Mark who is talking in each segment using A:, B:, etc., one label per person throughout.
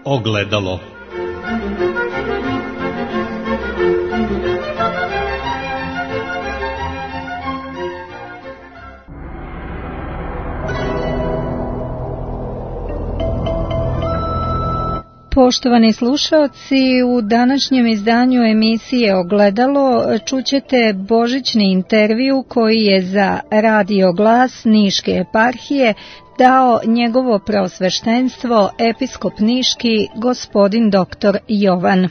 A: Ogledalo.
B: Poštovani slušaoci, u današnjem izdanju emisije Ogledalo čućete božićni intervju koji je za Radio Glas Niške eparhije dao njegovo preosveštenstvo episkop niški gospodin dr. Jovan.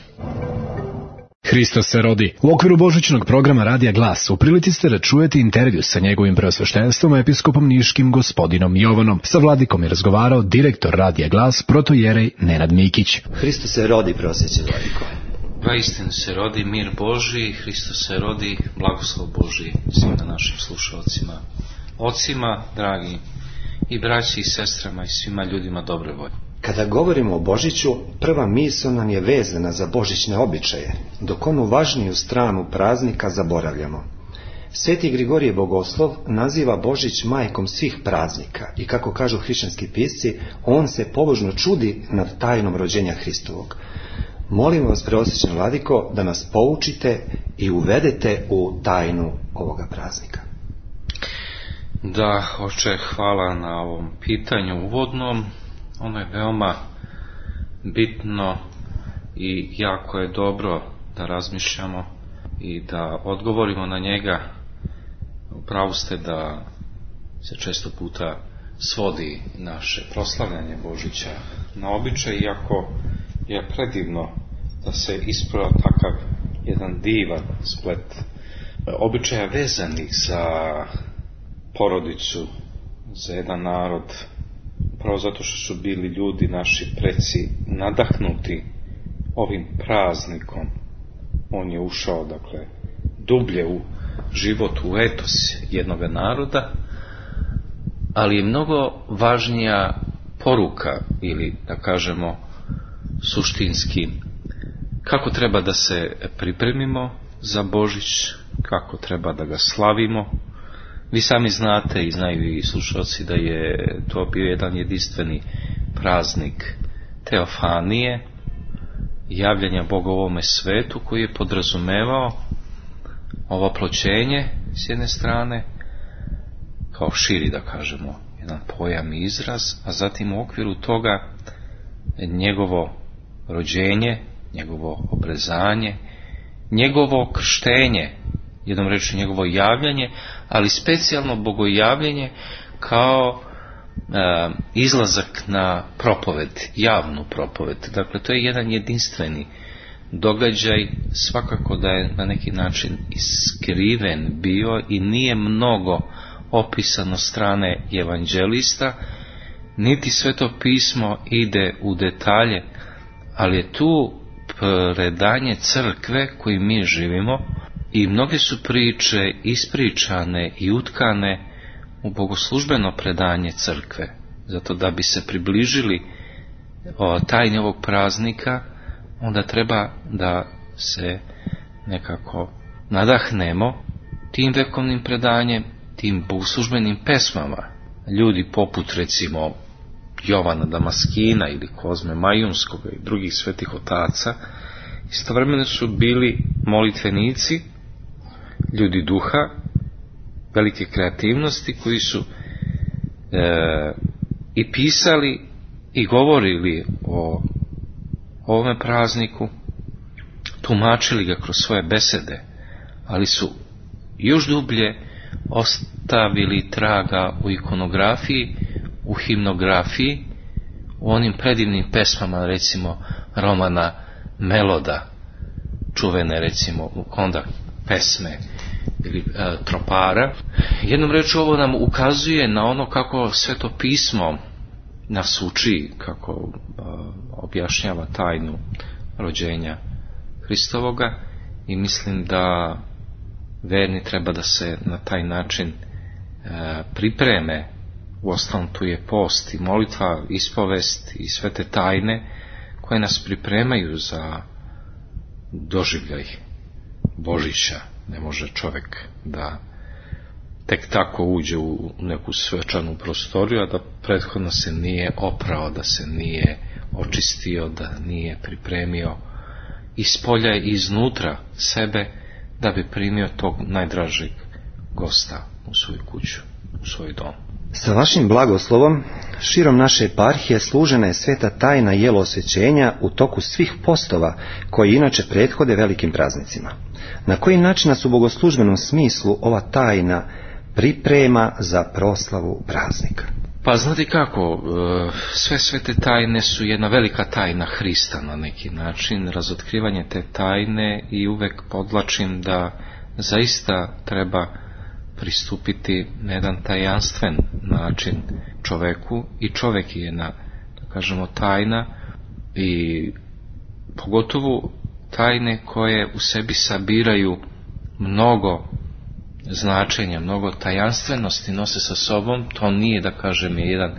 C: Hristos se rodi. U okviru božićnog programa Radija Glas u prilici ste da čujete intervju sa njegovim preosveštenstvom episkopom niškim gospodinom Jovanom. Sa vladikom je razgovarao direktor Radija Glas protojerej Nenad Mikić.
D: Hristos se rodi, prosveće vladiko.
E: Vaistinu se rodi mir Božji, Hristos se rodi, blagoslov Božji svim našim slušalcima, ocima, dragi, i braći i sestrama i svima ljudima dobre volje.
D: Kada govorimo o Božiću, prva misao nam je vezana za božićne običaje, dok onu važniju stranu praznika zaboravljamo. Sveti Grigorije Bogoslov naziva Božić majkom svih praznika i kako kažu hrišćanski pisci, on se pobožno čudi nad tajnom rođenja Hristovog. Molimo vas, preosvećeni vladiko, da nas poučite i uvedete u tajnu ovoga praznika.
E: Da, oče, hvala na ovom pitanju uvodnom. Ono je veoma bitno i jako je dobro da razmišljamo i da odgovorimo na njega. Upravo ste da se često puta svodi naše proslavljanje Božića na običaj, iako je predivno da se isprava takav jedan divan splet običaja vezanih za porodicu, za jedan narod, upravo zato što su bili ljudi, naši preci, nadahnuti ovim praznikom. On je ušao, dakle, dublje u život, u etos jednog naroda, ali je mnogo važnija poruka, ili da kažemo suštinski, kako treba da se pripremimo za Božić, kako treba da ga slavimo. Vi sami znate i znaju i slušalci da je to bio jedan jedinstveni praznik teofanije, javljanja Boga u ovome svetu, koji je podrazumevao ovo ploćenje s jedne strane, kao širi, da kažemo, jedan pojam i izraz, a zatim u okviru toga njegovo rođenje, njegovo obrezanje, njegovo krštenje, jednom rečju njegovo javljanje, ali specijalno bogojavljanje kao izlazak na propoved, javnu propoved. Dakle, to je jedan jedinstveni događaj, svakako da je na neki način iskriven bio i nije mnogo opisano strane evanđelista, niti Sveto pismo ide u detalje, ali je tu predanje crkve koji mi živimo i mnoge su priče ispričane i utkane u bogoslužbeno predanje crkve. Zato da bi se približili tajni ovog praznika, onda treba da se nekako nadahnemo tim vekovnim predanjem, tim bogoslužbenim pesmama. Ljudi poput, recimo, Jovana Damaskina ili Kozme Majunskog i drugih svetih otaca istovremeno su bili molitvenici, ljudi duha, velike kreativnosti, koji su i pisali i govorili o ovome prazniku, tumačili ga kroz svoje besede, ali su još dublje ostavili traga u ikonografiji, u himnografiji, u onim predivnim pesmama, recimo Romana Meloda, čuvene, recimo, onda pesme ili tropara. Jednom rečju, ovo nam ukazuje na ono kako Sveto pismo nas uči, kako objašnjava tajnu rođenja Hristovoga, i mislim da verni treba da se na taj način pripreme. Uostalom, tu je post i molitva, ispovest i sve te tajne koje nas pripremaju za doživljaj Božića. Ne može čovjek da tek tako uđe u neku svečanu prostoriju, a da prethodno se nije oprao, da se nije očistio, da nije pripremio iz polja i iznutra sebe da bi primio tog najdražeg gosta u svoju kuću, u svoj dom.
D: Sa vašim blagoslovom, širom naše eparhije služena je sveta tajna jelo osvećenja u toku svih postova koji inače prethode velikim praznicima. Na koji način nas u bogoslužbenom smislu ova tajna priprema za proslavu praznika?
E: Pa znate kako, sve svete tajne su jedna velika tajna Hrista na neki način, razotkrivanje te tajne, i uvek podvlačim da zaista treba pristupiti na jedan tajanstven način čoveku, i čovek je jedna, da kažemo, tajna, i pogotovo tajne koje u sebi sabiraju mnogo značenja, mnogo tajanstvenosti nose sa sobom. To nije, da kažem, je jedan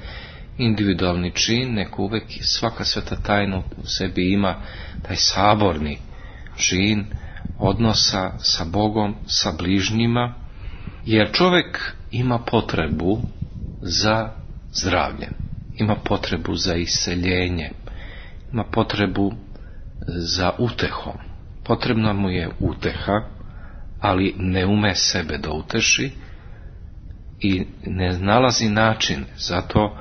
E: individualni čin, nego uvek svaka sveta tajna u sebi ima taj saborni čin odnosa sa Bogom, sa bližnjima, jer čovjek ima potrebu za zdravljem, ima potrebu za iseljenjem, ima potrebu za utehom. Potrebna mu je uteha, ali ne ume sebe da uteši i ne nalazi način. Zato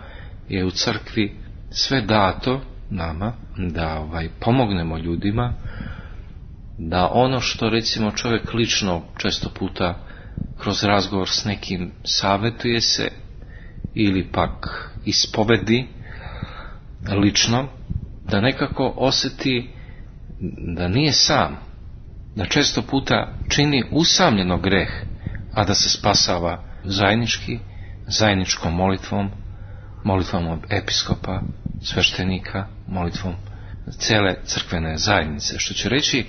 E: je u crkvi sve dato nama da pomognemo ljudima, da ono što recimo čovjek lično često puta kroz razgovor s nekim savjetuje se ili pak ispovedi lično, da nekako osjeti da nije sam, da često puta čini usamljeno greh, a da se spasava zajedničkom molitvom od episkopa, sveštenika, molitvom cele crkvene zajednice. Što će reći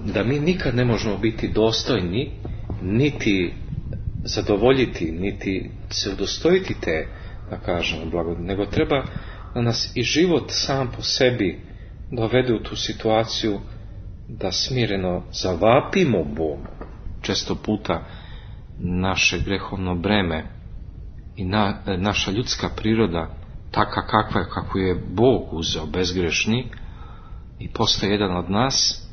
E: da mi nikad ne možemo biti dostojni, niti zadovoljiti, niti se udostojiti te, da kažemo, blagodati, nego treba da nas i život sam po sebi dovede u tu situaciju da smireno zavapimo Bogu. Često puta naše grehovno breme i naša ljudska priroda, taka kakva je, kako je Bog uzeo bezgrešni i postao jedan od nas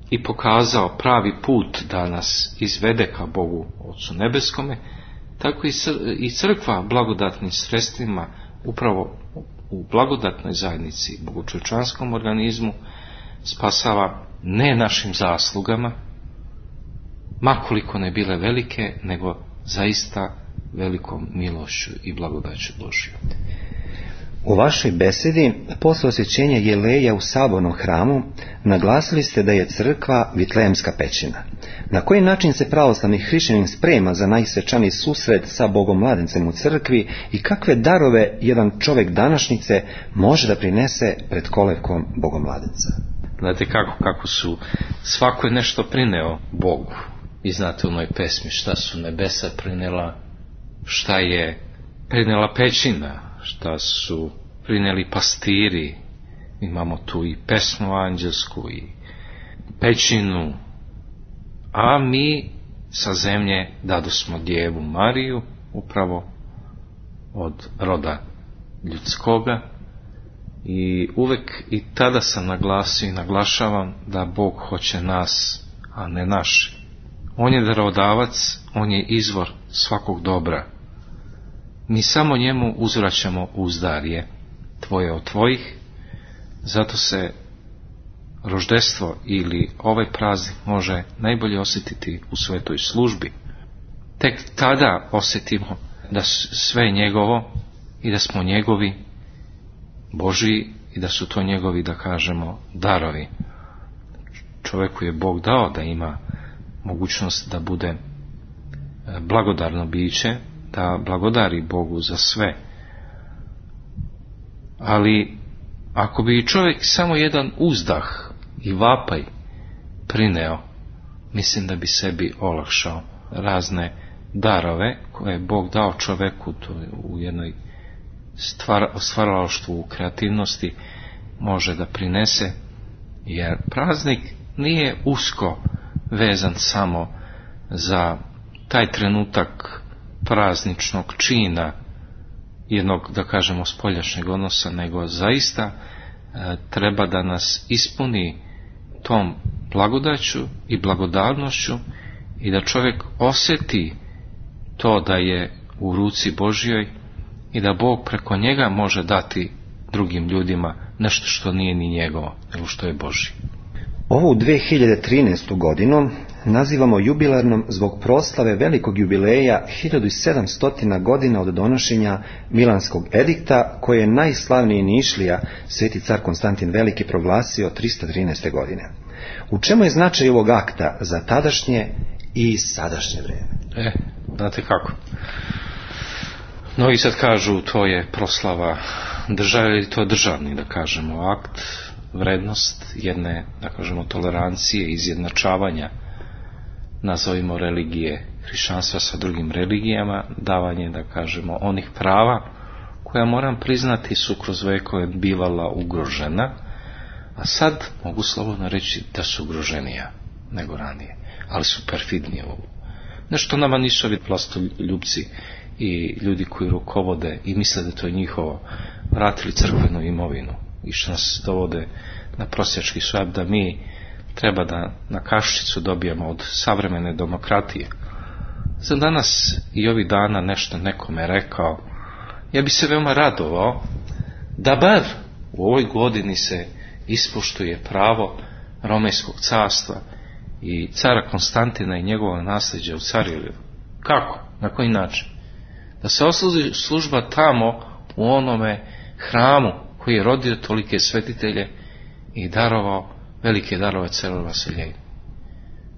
E: i pokazao pravi put da nas izvede ka Bogu Otcu Nebeskome, tako i crkva blagodatnim sredstvima, upravo u blagodatnoj zajednici, bogočovječanskom organizmu, spasava ne našim zaslugama, makoliko ne bile velike, nego zaista velikom milošću i blagodaću Božju.
D: U vašoj besedi posle osvećenja jeleja u sabornom hramu naglasili ste da je crkva Vitlejemska pećina. Na koji način se pravoslavni hrišćanin sprema za najsvečaniji susret sa Bogom mladencem u crkvi i kakve darove jedan čovjek današnjice može da prinese pred kolevkom Bogom mladenca?
E: Znate kako su, svako je nešto prineo Bogu. I znate u onoj pesmi šta su nebesa prinela, šta je prinela pećina, šta su prineli pastiri. Imamo tu i pesmu anđelsku i pećinu, a mi sa zemlje dadosmo Djevu Mariju, upravo od roda ljudskoga. I uvek i tada sam naglasio i naglašavam da Bog hoće nas, a ne naši. On je darodavac, on je izvor svakog dobra. Mi samo njemu uzvraćamo uzdarje, tvoje od tvojih. Zato se roždestvo ili ovaj praznik može najbolje osjetiti u svetoj službi. Tek tada osjetimo da sve je njegovo i da smo njegovi, Božji, i da su to njegovi, da kažemo, darovi. Čovjeku je Bog dao da ima mogućnost da bude blagodarno biće, da blagodari Bogu za sve. Ali ako bi čovjek samo jedan uzdah i vapaj prineo, mislim da bi sebi olakšao razne darove koje je Bog dao čovjeku, to u jednoj stvaralaštvu, u kreativnosti može da prinese, jer praznik nije usko vezan samo za taj trenutak prazničnog čina jednog, da kažemo, spoljašnjeg odnosa, nego zaista treba da nas ispuni tom blagodaću i blagodarnošću i da čovjek osjeti to da je u ruci Božjoj i da Bog preko njega može dati drugim ljudima nešto što nije ni njegovo, nego što je Božje.
D: Ovu 2013. godinu nazivamo jubilarnom zbog proslave velikog jubileja 1700 godina od donošenja Milanskog edikta, koje je najslavniji Nišlija, sveti car Konstantin Veliki, proglasio 313. godine. U čemu je značaj ovog akta za tadašnje i sadašnje vrijeme?
E: Znate kako? Mnogi sad kažu to je proslava države, ili to je državni, da kažemo, akt, vrednost jedne, da kažemo, tolerancije, izjednačavanja, nazovimo, religije hrišćanstva sa drugim religijama, davanje, da kažemo, onih prava koja, moram priznati, su kroz vekove bivala ugrožena, a sad mogu slobodno reći da su ugroženija nego ranije, ali su perfidnije ovo. Nešto nama nisu ovi vlastoljupci i ljudi koji rukovode i misle da to je njihovo, vratili crkvenu imovinu i što nas dovode na prosjački šap, da mi treba da na kašičicu dobijemo od savremene demokratije. Za danas i ovih dana nešto nekome rekao, ja bi se veoma radovao da bar u ovoj godini se ispoštuje pravo Romejskog carstva i cara Konstantina i njegovog nasljeđa u Carjevu. Kako? Na koji način? Da se odsluži služba tamo u onome hramu koji je rodio tolike svetitelje i darovao velike darove caru Vasiljeju.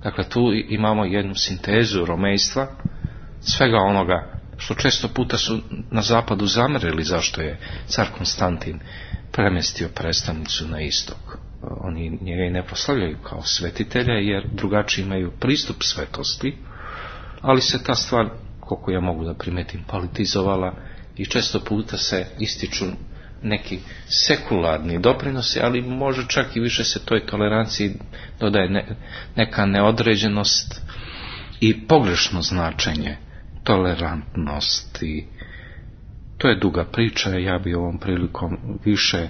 E: Dakle, tu imamo jednu sintezu romejstva, svega onoga što često puta su na zapadu zamerili zašto je car Konstantin premjestio predstavnicu na istok. Oni njega i ne proslavljaju kao svetitelja jer drugačiji imaju pristup svetosti, ali se ta stvar, koliko ja mogu da primetim, politizovala i često puta se ističu neki sekularni doprinosi, ali može čak i više se toj toleranciji dodaje neka neodređenost i pogrešno značenje tolerantnosti. To je duga priča, ja bi ovom prilikom više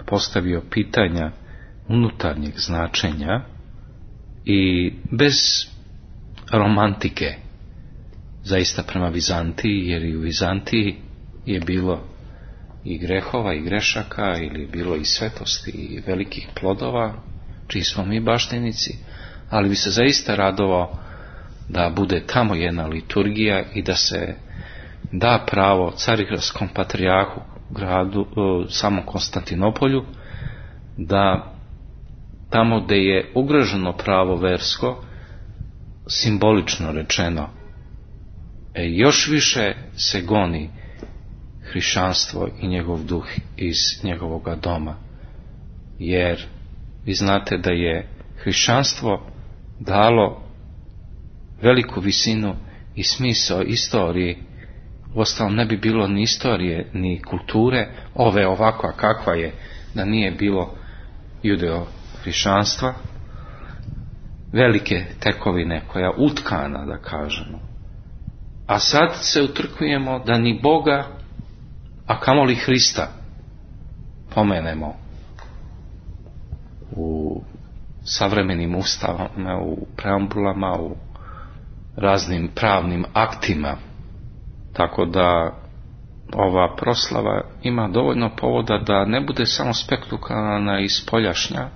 E: postavio pitanja unutarnjeg značenja i bez romantike zaista prema Vizantiji, jer i u Vizantiji je bilo i grehova i grešaka, ili bilo i svetosti i velikih plodova, čiji smo mi baštinici, ali bi se zaista radovao da bude tamo jedna liturgija i da se da pravo carigraskom patrijarhu, gradu, samom Konstantinopolju, da tamo gdje je ugroženo pravo versko, simbolično rečeno, još više se goni hrišćanstvo i njegov duh iz njegovoga doma. Jer vi znate da je hrišćanstvo dalo veliku visinu i smisao istoriji. Uostalom ne bi bilo ni istorije, ni kulture, ove ovakva kakva je, da nije bilo judeo-hrišćanstva, velike tekovine koja je utkana, da kažemo. A sad se utrkujemo da ni Boga, a kamoli Hrista, pomenemo u savremenim ustavama, u preambulama, u raznim pravnim aktima. Tako da ova proslava ima dovoljno povoda da ne bude samo spektakularna i spoljašnja,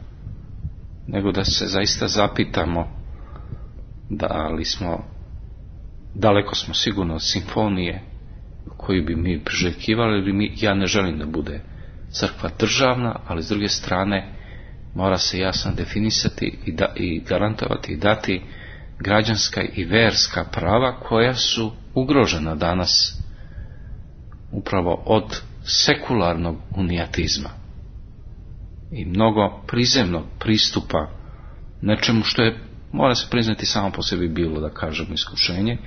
E: nego da se zaista zapitamo da li smo, daleko smo sigurno od simfonije koju bi mi priželjkivali, ili ja ne želim da bude crkva državna, ali s druge strane mora se jasno definisati i garantovati i dati građanska i verska prava koja su ugrožena danas upravo od sekularnog unijatizma i mnogo prizemnog pristupa nečemu što je, mora se priznati, samo po sebi bilo, da kažemo, iskušenje,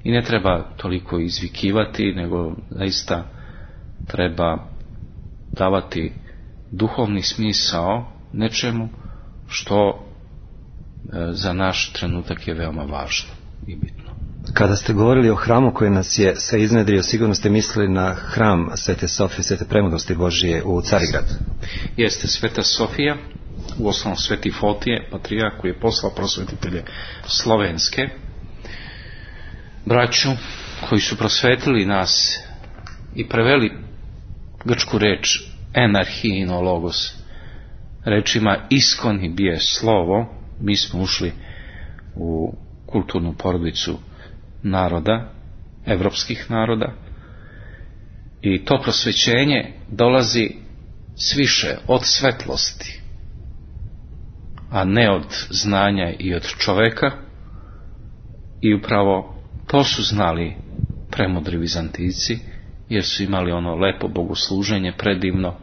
E: i ne treba toliko izvikivati, nego zaista treba davati duhovni smisao nečemu što za naš trenutak je veoma važno i bitno.
D: Kada ste govorili o hramu koji nas je se iznedrio, sigurno ste mislili na hram Svete Sofije, Svete Premudosti Božije u Carigrad.
E: Jeste Sveta Sofija, u osnovu Sveti Fotije, patrijarh koji je poslao prosvetitelje slovenske, braću koji su prosvetili nas i preveli grčku reč enarhino logos rečima iskoni bije slovo. Mi smo ušli u kulturnu porodicu naroda, evropskih naroda, i to prosvećenje dolazi sviše od svetlosti, a ne od znanja i od čoveka, i upravo to su znali premudri Vizantijci, jer su imali ono lepo bogosluženje predivno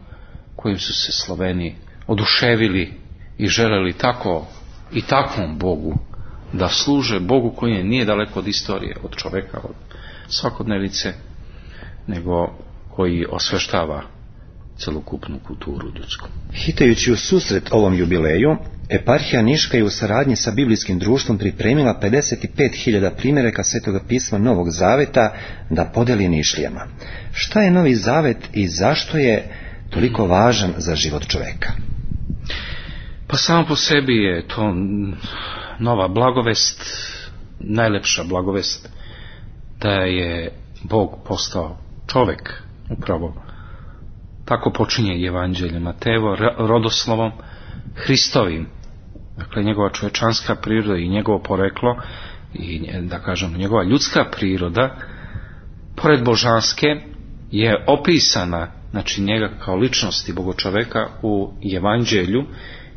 E: kojim su se Sloveni oduševili i želeli tako i takvom Bogu da služe, Bogu koji nije daleko od istorije, od čoveka, od svakodnevice, nego koji osveštava celokupnu kulturu ljudsku.
D: Hitajući u susret ovom jubileju, eparhija Niška je u saradnji sa Biblijskim društvom pripremila 55.000 primjeraka Svetoga pisma Novog Zaveta da podeli Nišlijama. Šta je Novi Zavet i zašto je toliko važan za život čoveka?
E: Pa samo po sebi je to nova blagovest, najlepša blagovest, da je Bog postao čovek. Upravo tako počinje Evanđelje Matejevo, rodoslovom Hristovim. Dakle, njegova čovečanska priroda i njegovo poreklo i, da kažem, njegova ljudska priroda, pored božanske, je opisana, znači njega kao ličnosti Bogočoveka, u Evanđelju,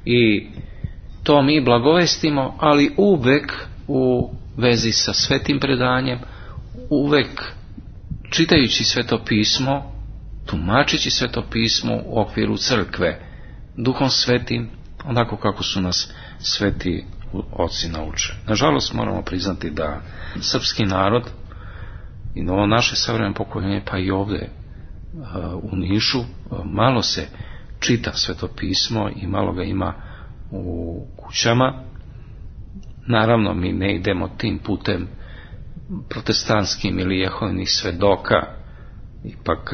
E: i to mi blagovestimo, ali uvek u vezi sa svetim predanjem, uvek čitajući Sveto pismo, tumačeći Sveto pismo u okviru crkve, Duhom Svetim, onako kako su nas sveti oci naučili. Nažalost, moramo priznati da srpski narod i novo naše savremeno pokoljenje, pa i ovdje u Nišu, malo se čita Sveto pismo i malo ga ima u kućama. Naravno, mi ne idemo tim putem protestantskim ili jehovnih svedoka. Ipak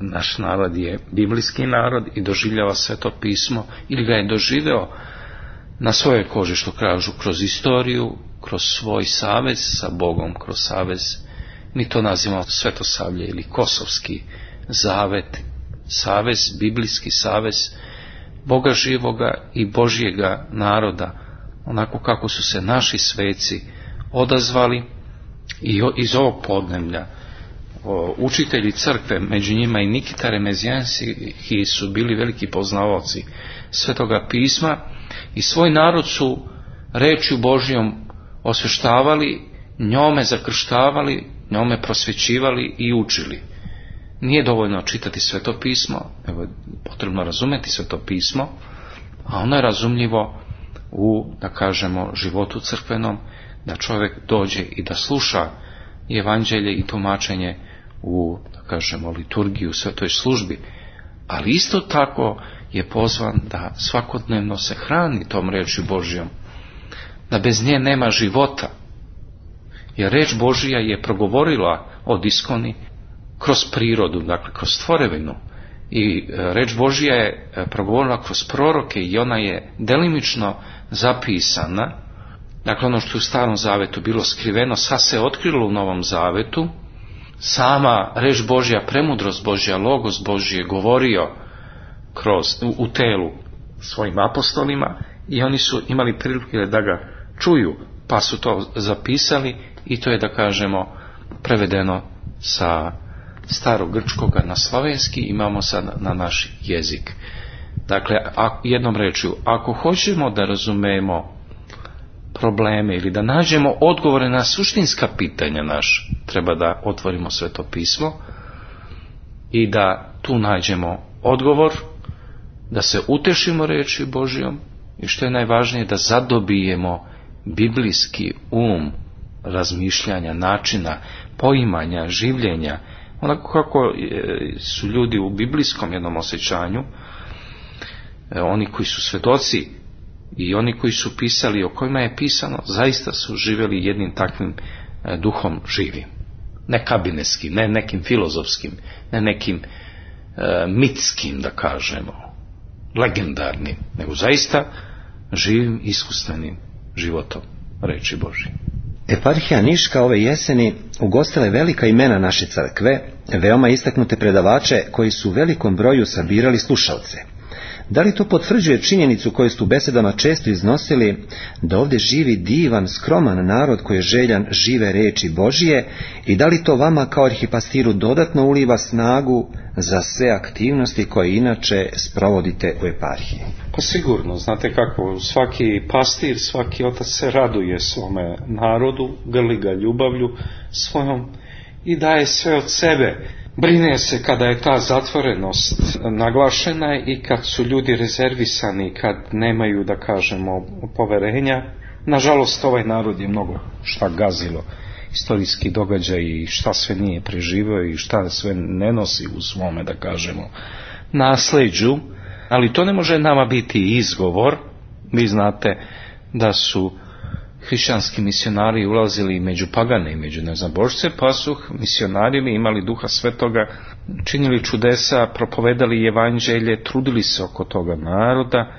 E: naš narod je biblijski narod i doživljava Sveto pismo, ili ga je doživeo na svojoj koži, što kažu, kroz istoriju, kroz svoj savez sa Bogom, kroz savez, mi to nazivamo Svetosavlje ili Kosovski zavet, savez, biblijski savez Boga živoga i Božjega naroda, onako kako su se naši sveci odazvali. I iz ovog podneblja učitelji crkve, među njima i Nikita Remezijanski, su bili veliki poznavaoci Svetoga pisma i svoj narod su rečju Božjom osveštavali, njome zakrštavali, njome prosvećivali i učili. Nije dovoljno čitati Sveto pismo, evo, potrebno razumeti Sveto pismo, a ono je razumljivo u, da kažemo, životu crkvenom, da čovjek dođe i da sluša Evanđelje i tumačenje u, da kažemo, liturgiji, u svetoj službi, ali isto tako je pozvan da svakodnevno se hrani tom rečju Božjom, da bez nje nema života, jer reč Božja je progovorila od iskoni kroz prirodu, dakle kroz tvorevinu, i reč Božja je progovorila kroz proroke i ona je delimično zapisana. Dakle, ono što je u Starom Zavetu bilo skriveno, sad se otkrilo u Novom Zavetu. Sama reč Božja, premudrost Božja, logos Božji je govorio u telu svojim apostolima i oni su imali prilike da ga čuju, pa su to zapisali i to je, da kažemo, prevedeno sa starogrčkoga na slavenski, imamo sad na naš jezik. Dakle, jednom rečju, ako hoćemo da razumemo probleme ili da nađemo odgovore na suštinska pitanja naša, treba da otvorimo Sveto pismo i da tu nađemo odgovor, da se utešimo reči Božjom i što je najvažnije, da zadobijemo biblijski razmišljanja, načina, poimanja, življenja, onako kako su ljudi u biblijskom jednom osjećanju, oni koji su svedoci i oni koji su pisali, o kojima je pisano, zaista su živjeli jednim takvim duhom živim. Ne kabinetskim, ne nekim filozofskim, ne nekim mitskim, da kažemo, legendarnim, nego zaista živim, iskustvenim životom reči Božje.
D: Eparhija Niška ove jeseni ugostila je velika imena naše crkve, veoma istaknute predavače koji su u velikom broju sabirali slušalce. Da li to potvrđuje činjenicu koju ste u besedama često iznosili, da ovdje živi divan, skroman narod koji je željan žive reči Božije, i da li to vama kao arhipastiru dodatno uliva snagu za sve aktivnosti koje inače sprovodite u eparhiji?
E: Pa sigurno, znate kako, svaki pastir, svaki otac se raduje svome narodu, grli ga ljubavlju svojom i daje sve od sebe. Brine se kada je ta zatvorenost naglašena i kad su ljudi rezervisani, kad nemaju, da kažemo, poverenja. Nažalost, ovaj narod je mnogo šta gazilo, istorijski događaj i šta sve nije preživio i šta sve ne nosi u svome, da kažemo, nasleđu, ali to ne može nama biti izgovor. Vi znate da su hrišćanski misionari ulazili među pagane i među neznabožce, pa su misionari imali Duha Svetoga, činili čudesa, propovedali evanđelje, trudili se oko toga naroda.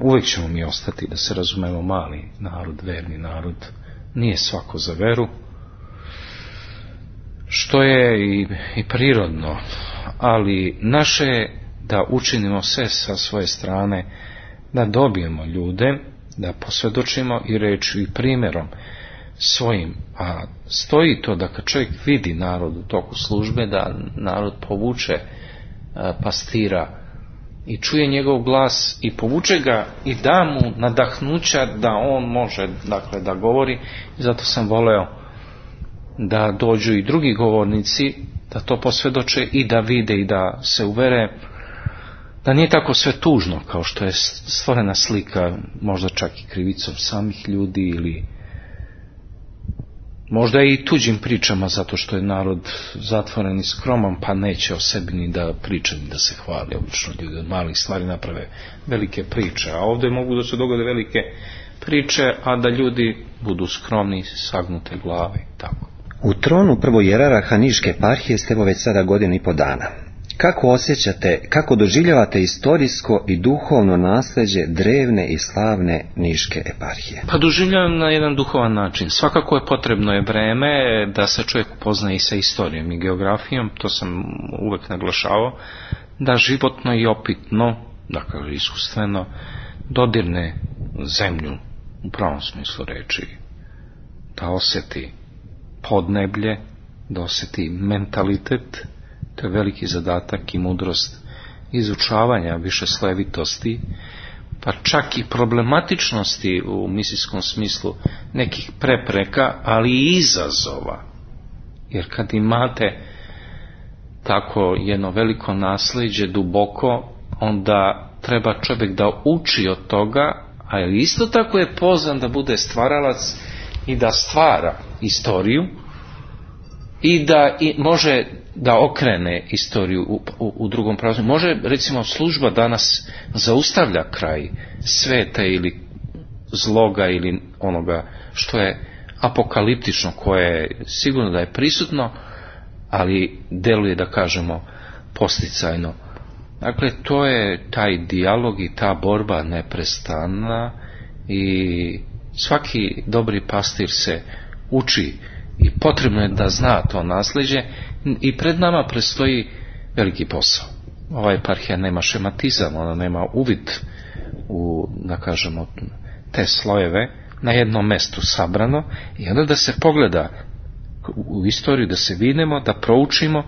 E: Uvijek ćemo mi ostati, da se razumemo, mali narod, verni narod, nije svako za veru, što je i prirodno, ali naše je da učinimo sve sa svoje strane, da dobijemo ljude, da posvjedočimo i rečju i primjerom svojim, a stoji to da kad čovjek vidi narod u toku službe, da narod povuče pastira i čuje njegov glas i povuče ga i da mu nadahnuća da on može, dakle, da govori. I zato sam voleo da dođu i drugi govornici, da to posvjedoče i da vide i da se uvere da nije tako sve tužno kao što je stvorena slika, možda čak i krivicom samih ljudi ili možda i tuđim pričama, zato što je narod zatvoren i skroman, pa neće o sebi ni da priča ni da se hvali. Obično ljudi od malih stvari naprave velike priče, a ovdje mogu da se dogode velike priče, a da ljudi budu skromni, sagnute glave i tako.
D: U tronu prvojerarha Niške eparhije ste evo već sada 1,5 godina. Kako osjećate, kako doživljavate istorijsko i duhovno nasljeđe drevne i slavne Niške eparhije?
E: Pa doživljavam na jedan duhovan način. Svakako je potrebno je vreme da se čovjek upoznaje i sa istorijom i geografijom, to sam uvek naglašavao, da životno i opitno, dakle iskustveno, dodirne zemlju u pravom smislu reči, da osjeti podneblje, da osjeti mentalitet. To je veliki zadatak i mudrost izučavanja višeslojevitosti, pa čak i problematičnosti u misijskom smislu, nekih prepreka, ali i izazova. Jer kad imate tako jedno veliko nasljeđe duboko, onda treba čovjek da uči od toga, a isto tako je pozvan da bude stvaralac i da stvara istoriju i da može da okrene istoriju u drugom pravcu. Može, recimo, služba danas zaustavlja kraj sveta ili zloga ili onoga što je apokaliptično, koje je sigurno da je prisutno, ali deluje, da kažemo, posticajno. Dakle, to je taj dijalog i ta borba neprestana i svaki dobri pastir se uči i potrebno je da zna to nasljeđe i pred nama predstoji veliki posao. Ova eparhija nema šematizam, ona nema uvid u, da kažemo, te slojeve na jednom mestu sabrano i onda da se pogleda u istoriju, da se vidimo, da proučimo,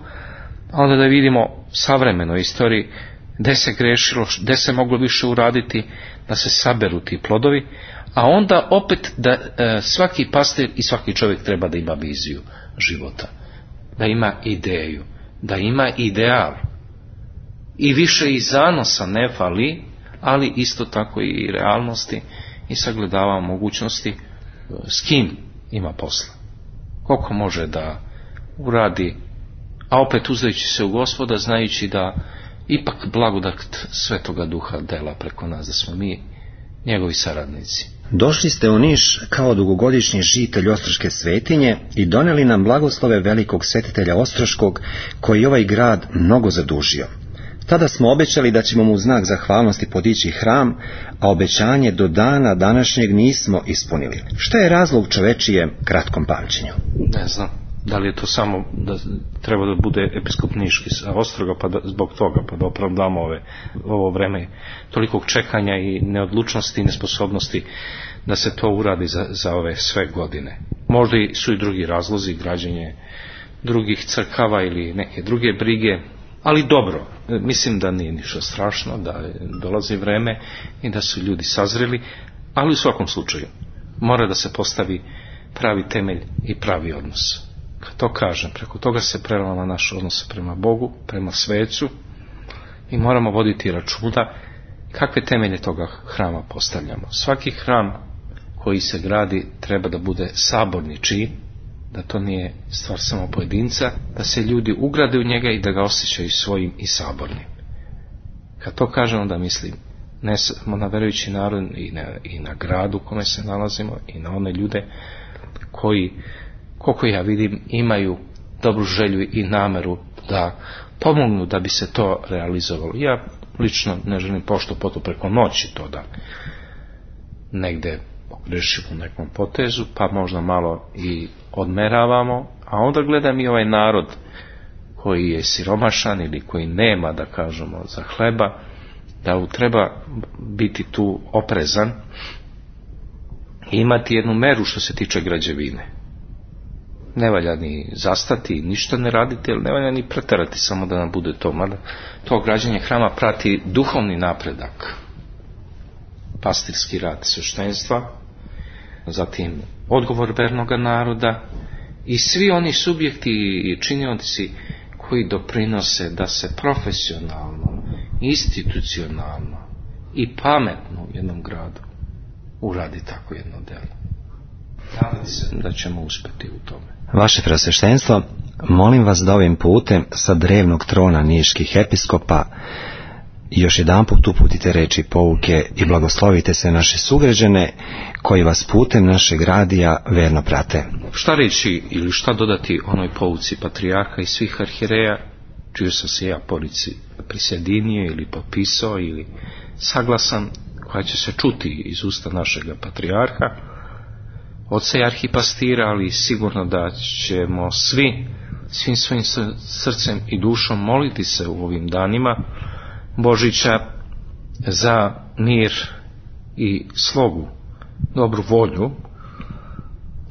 E: a onda da vidimo savremeno istoriji gdje se grešilo, gdje se moglo više uraditi, da se saberu ti plodovi, a onda opet da svaki pastir i svaki čovjek treba da ima viziju života, da ima ideju, da ima ideal. I više i zanosa ne fali, ali isto tako i realnosti i sagledava mogućnosti s kim ima posla. Koliko može da uradi, a opet uzdajući se u Gospoda, znajući da ipak blagodat Svetoga Duha dela preko nas, da smo mi njegovi saradnici.
D: Došli ste u Niš kao dugogodišnji žitelj Ostroške svetinje i doneli nam blagoslove velikog svetitelja Ostroškog, koji ovaj grad mnogo zadužio. Tada smo obećali da ćemo mu u znak zahvalnosti podići hram, a obećanje do dana današnjeg nismo ispunili. Šta je razlog čovečijem kratkom pamćenju?
E: Ne znam. Da li je to samo da treba da bude episkop Niški sa Ostroga pa zbog toga pa da opravdamo ovo vreme tolikog čekanja i neodlučnosti i nesposobnosti da se to uradi za ove sve godine. Možda su i drugi razlozi, građenje drugih crkava ili neke druge brige, ali dobro, mislim da nije ništa strašno, da dolazi vreme i da su ljudi sazreli, ali u svakom slučaju mora da se postavi pravi temelj i pravi odnos. Kad to kažem, preko toga se prelama naš odnos prema Bogu, prema svecu i moramo voditi računa kakve temelje toga hrama postavljamo. Svaki hram koji se gradi treba da bude saborni čin, da to nije stvar samo pojedinca, da se ljudi ugrade u njega i da ga osjećaju svojim i sabornim. Kad to kažem, onda mislim ne samo na verujući narod i na gradu u kome se nalazimo i na one ljude koji, koliko ja vidim, imaju dobru želju i nameru da pomognu da bi se to realizovalo. Ja lično ne želim pošto poto preko noći to da negde pogrešimo u nekom potezu, pa možda malo i odmeravamo, a onda gledam i ovaj narod koji je siromašan ili koji nema, da kažemo, za hleba, da treba biti tu oprezan i imati jednu meru što se tiče građevine. Ne valja ni zastati, ništa ne raditi, ali ne valja ni preterati samo da nam bude to. Mada to građenje hrama prati duhovni napredak, pastirski rad sveštenstva, zatim odgovor vernoga naroda i svi oni subjekti i činioci koji doprinose da se profesionalno, institucionalno i pametno u jednom gradu uradi tako jedno delo. Nadam se da ćemo uspjeti u tome.
D: Vaše preosveštenstvo, molim vas da ovim putem sa drevnog trona niških episkopa još jedanput uputite reči pouke i blagoslovite se naše sugrađane koji vas putem našeg radija verno prate.
E: Šta reći ili šta dodati onoj pouci patrijarha i svih arhijereja, čiju sam se ja prisjedinio ili potpisao ili saglasan, koja će se čuti iz usta našeg patrijarha, oca i arhipastira, ali sigurno da ćemo svim svojim srcem i dušom moliti se u ovim danima Božića za mir i slogu, dobru volju,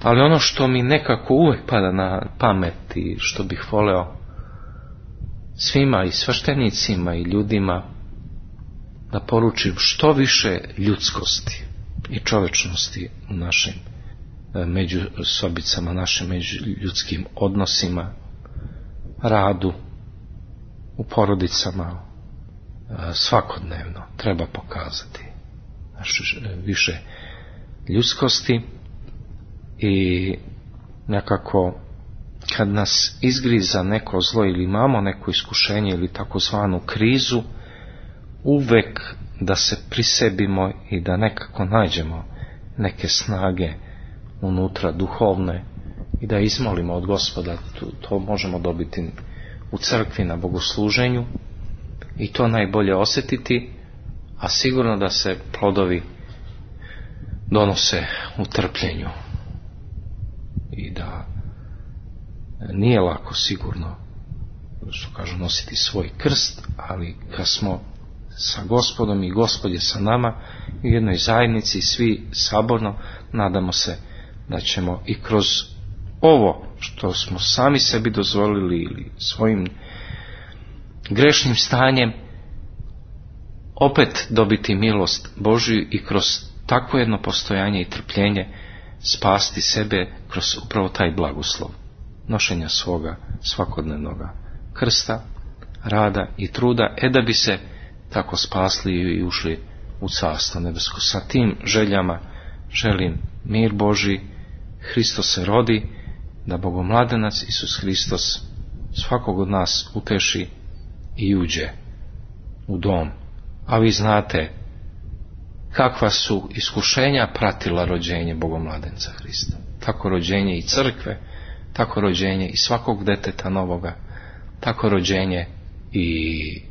E: ali ono što mi nekako uvek pada na pamet i što bih voleo svima i sveštenicima i ljudima da poručim što više ljudskosti i čovečnosti u našim međusobicama, našim međuljudskim odnosima, radu, u porodicama, svakodnevno treba pokazati više ljudskosti i nekako kad nas izgriza neko zlo ili imamo neko iskušenje ili takozvanu krizu, uvek da se prisebimo i da nekako nađemo neke snage unutra duhovne i da izmolimo od Gospoda. To možemo dobiti u crkvi na bogosluženju i to najbolje osjetiti, a sigurno da se plodovi donose u trpljenju i da nije lako sigurno, što kažu, nositi svoj krst, ali kad smo sa Gospodom i Gospod je sa nama u jednoj zajednici, svi saborno, nadamo se da ćemo i kroz ovo što smo sami sebi dozvolili ili svojim grešnim stanjem opet dobiti milost Božju i kroz takvo jedno postojanje i trpljenje spasti sebe kroz upravo taj blagoslov nošenja svoga svakodnevnoga krsta, rada i truda, da bi se tako spasli i ušli u Carstvo nebesko. Sa tim željama želim mir Božji, Hristos se rodi, da Bogomladenac Isus Hristos svakog od nas uteši i uđe u dom. A vi znate kakva su iskušenja pratila rođenje Bogomladenca Hrista. Tako rođenje i crkve, tako rođenje i svakog deteta novoga, tako rođenje i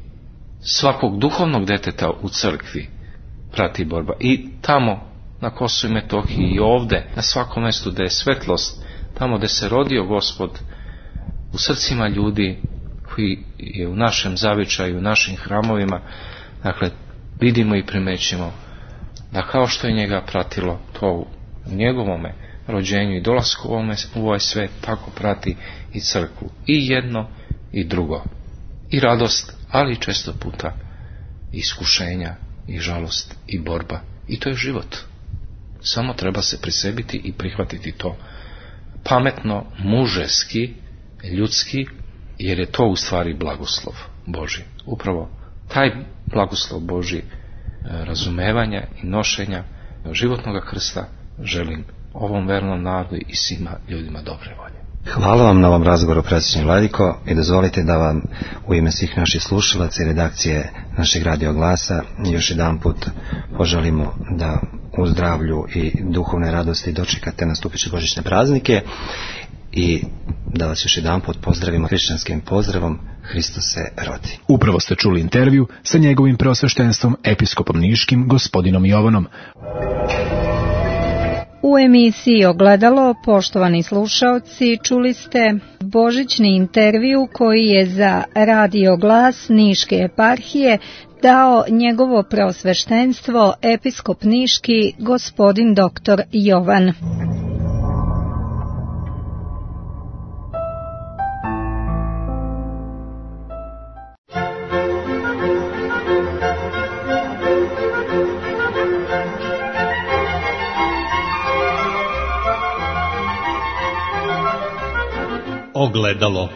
E: svakog duhovnog deteta u crkvi prati borba. I tamo na Kosovu i Metohiji i ovde, na svakom mjestu gdje je svetlost, tamo gdje se rodio Gospod, u srcima ljudi koji je u našem zavičaju, u našim hramovima, dakle, vidimo i primećimo da kao što je njega pratilo to u njegovome rođenju i dolasku u ovaj svet, tako prati i crkvu. I jedno i drugo. I radost, ali često puta i iskušenja, i žalost, i borba. I to je život. Samo treba se prisebiti i prihvatiti to pametno, mužeski, ljudski, jer je to u stvari blagoslov Božji. Upravo taj blagoslov Božji, razumevanja i nošenja životnog krsta želim ovom vernom narodu i svima ljudima dobre volje.
D: Hvala vam na ovom razgovoru, predsjedniče Vladiko, i dozvolite da vam u ime svih naših slušalaca i redakcije našeg Radio Glasa još jedan put poželimo da u zdravlju i duhovne radosti dočekate nastupiće božićne praznike i da vas još jedan put pozdravimo hrišćanskim pozdravom: Hristos se rodi.
C: Upravo ste čuli intervju sa njegovim preosveštenstvom episkopom niškim gospodinom Jovanom.
B: U emisiji Ogledalo, poštovani slušaoci, čuli ste božićni intervju koji je za Radio Glas Niške eparhije dao njegovo preosveštenstvo episkop niški gospodin dr. Jovan.
A: Ogledalo.